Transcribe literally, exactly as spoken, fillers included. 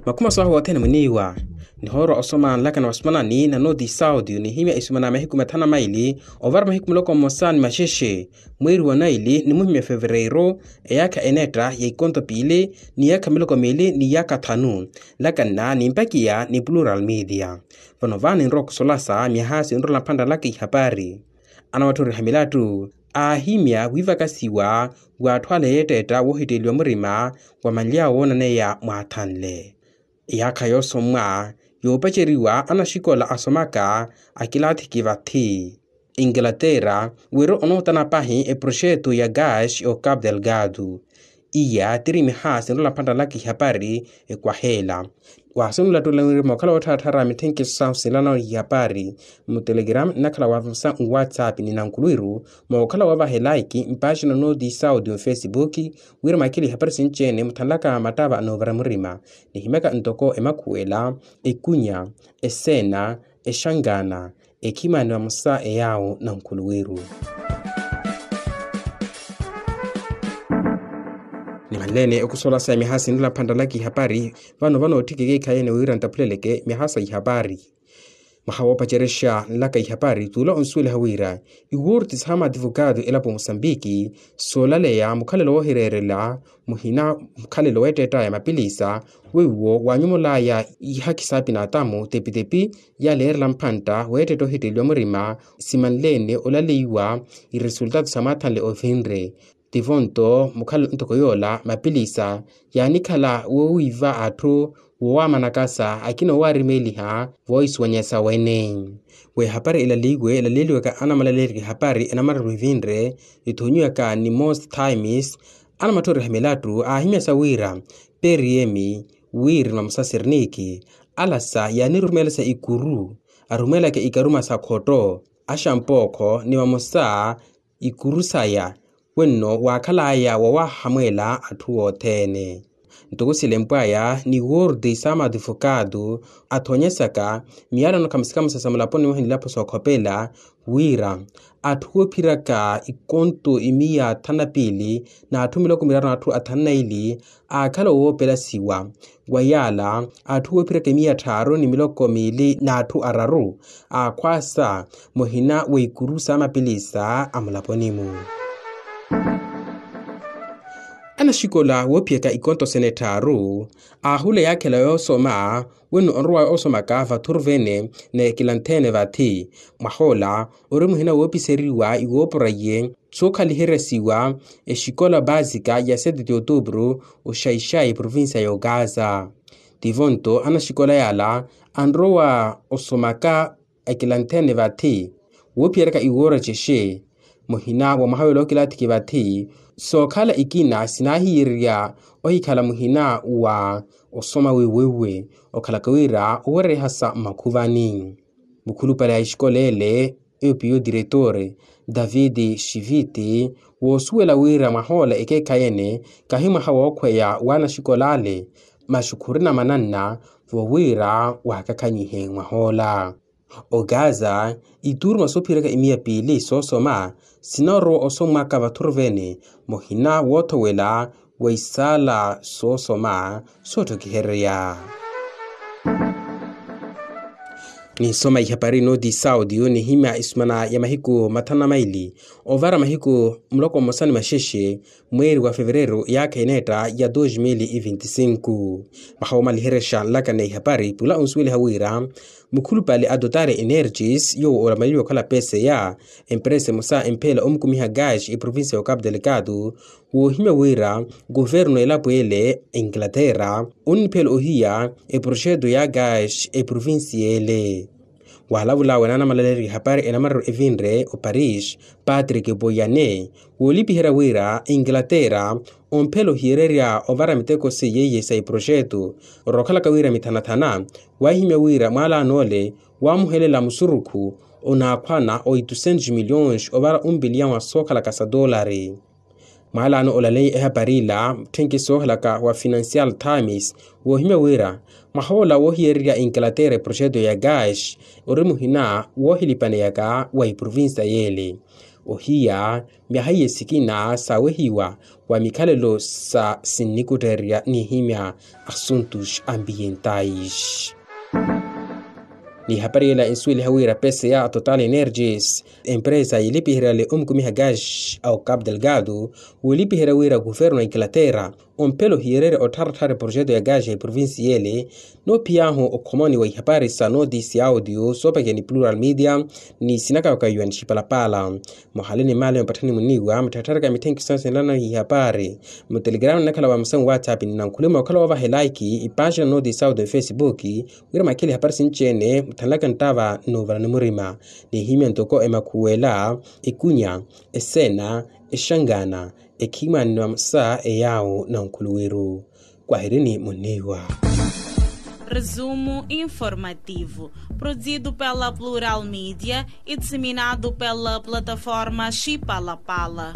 Makhumaso ahu othene muniiwa nihoorwa osoma nlakana wa sumanani na noti saudi nihimya isumana mahiku mathanu na maili, ovara mahiku muloko mmosa ni maxexe, mweeri wa naili ni muhimya fevereiro, eyaakha enetta ya ikonto piili ni yaakha miloko miili ni yaakha thanu. Nlakana ni mpakiya ni plural media. Vano vaani nrowa okusolasa myaha sinrola mphantta nlaka ihapari. Anawatthoriha milattu aahimya wiivakasiwa wa atthu ale yeettetta woohitteeliwa murima wa manly'awe woonaneya mwaathanle. Eyaakha yoosommwa yoopaceriwa anaxikola asomaka akilaathiki vathi inglaterra wira onootana pahi eproxeto ya gas o capo delgado. Iya tiri miha sinrola mphantta nlaka ihapari ekwaheela. Waasinula ttulanwiri mookhala woottharattharya mithenkiso sahu sinlana ihapari mutelegram nnakhala waavusa nwatsapp ni nankuluwiru mookhala woovaha elaiki mpaaxina nooti saudi mufesibuki. Wira mwakhile ihapari sinci-ene muthanlaka mattava anoovara murima nihimyaka ntoko emakhuwela, ekunya, eseena, exankaana, ekhimani vamosa eyaawo nankhuluwiru. Nimanleene okusolasa myaha sinrela mphantta nlaka ihapari. Vano vano otthikeke ekhayene wira ntaphuleleke myaha sa ihapari. Mwaha woopacerexa nlaka ihapari tuula onsuweliha wira iwurti saha maadivokatu elapo musambiki soolaleya mukhalelo woohireerela muhina mukhalelo weettettaya mapilisa weiwo waanyumulaya ihakhi saapina atamu tepitepi yaleerela mphantta weettetta ohitteliwa murima simanleene olaleiwa iresultatu sa mwaathanle ovinre. Tivo nto mukhala ntoko yoola mapilisa yaanikhala woowiiva atthu woowamanakasa akina oowaarimeliha voohisuwanyesa wene. Wehapari elaliiwe elaleeliwaka anamalalerya ehapari enamararu evinre ithonyiwaka ni most times. Anamatthoriha milattu aahimyasa wira periyemi wiri ni vamosa sirniki alasa yaanirumelesa ikuru arumelaka ikaruma sa khotto axampookho ni vamosa ikuru saya wenno waakhalaya wawaahamweela atthu othene. Ntoko silempwaya ni wordi sa matifokatu athonyesaka miyalano khamusikhamusa sa mulaponi mwaha ni ilapo sookhopela wira atthu oophiraka ikonto imiya thanu na piili n'atthu miloko miraru n'atthu athanu na ili aakhala owoopelasiwa. Wa yaala atthu woophiraka imiya tthaaru ni miloko miili n'atthu araru aakhwaasa muhina wa ikuru sa mapilisa a mulaponi-mu. Anaxikola woophiyaka ikonto sene tthaaru aahula yaakhela yoosoma wenno onrowa osomaka vathuru vene n'ekilanthene vathi mwahoola ori muhina woopiseriwa iwoopora iye sookhaliheryasiwa exikola basika ya sete de outubro oxaixai provincia ya ogaza. Tivo nto anaxikola yaala anrowa osomaka ekilanthene vathi woophiyeryaka iwoora cexe muhina wa mwaha wela okilathiki vathi sookhala ikina sinaahiyererya ohikhala muhina wa osoma wiiwiiwi okhalaka wira owereryahasa mmakhuvani. Mukhulupale a exikola ele eyo piyo diretor david xiviti woosuwela wira mwahoola ekeekhayi ene kahi mwaha wookhweya w'anaxikola ale masi khurina mananna vo wira waakakhanyihe mwahoola. Ogaza ituruma soophiraka imiya piili soosoma sinarowa osommwaka vathuru vene muhina woothowela wa isaala soosoma soottokihererya. Ninsoma ihapari noti saudio nihimya isumana ya mahiku mathanu na maili ovara mahiku muloko mmosa ni maxexe mweeri wa fevereru yaakha ineetta ya dos mil e vinte e cinco. Mwaha woomaliherexa nlakana ihapari pula onsuweliha wira mukhulupale a totale energies yoowo olamaleliwa okhala peseya empresa emosa empheela omukumiha gas eprovincia ya ocapo delicado woohimya wira kuvernu elapo ele inglaterra onniphela ohiya eproxeto ya gas eprovincia ele. Waalavulawe naanamalaleerya ihapari enamararu evinre oparis patrick poyane woolipiherya wira inglaterra omphela ohiyererya ovara miteko seiye iye sa iproxeto orookhalaka wira mithanathana waahimya wira mwaalaano ole waamuhelela musurukhu onaakhwana oitusentos milhões ovara umpiliya wa sookhalaka sa toolari. Mwaalaano olaleya ehapari ila mutthenki soohelaka wa financial times woohimya wira mwaha ola woohiyererya inglaterra eproxeto ya gas ori muhina woohilipaneyaka wa iprovincia yeele. Ohiya myaha iye sikina saawehiwa wa mikhalelo sa sinnikutterya n'ihimya assuntos ambientais. N'ihapari ela ensuweliha wira pese ya total energies empresa yilipiheryale omukumiha gaz a ocap delgado, wilipiherya wira kuvernu a inglaterra omphelo hiyererya ottharattharya projeto ya gaz ya eprovincia ele. Noophiy'ahu okhomoni wa ihapari sa notice ya audio soopakiya ni plural media ni sinakawakayiwa ni xipalapala. Muhale ni maale mupatthani muniiwa mutthattharaka mitthenkisa sinlana ihapari mutelegrama nnakhala wa musamu whatsapp ni nankhulima okhala woovaha elaiki ipaaxina notice ya audio ni facebook, wira makhele ihapari sinci-ene mutthanlaka nttava n'uvala ni murima. N'ihimya ntoko emakhuwela, ekunya, esena, exangana, ekhimani ni mamosa eyaawo na nkhuluwiru. Kwahirini muniiwa. Resumo informativo, produzido pela plural media e disseminado pela plataforma xipalapala.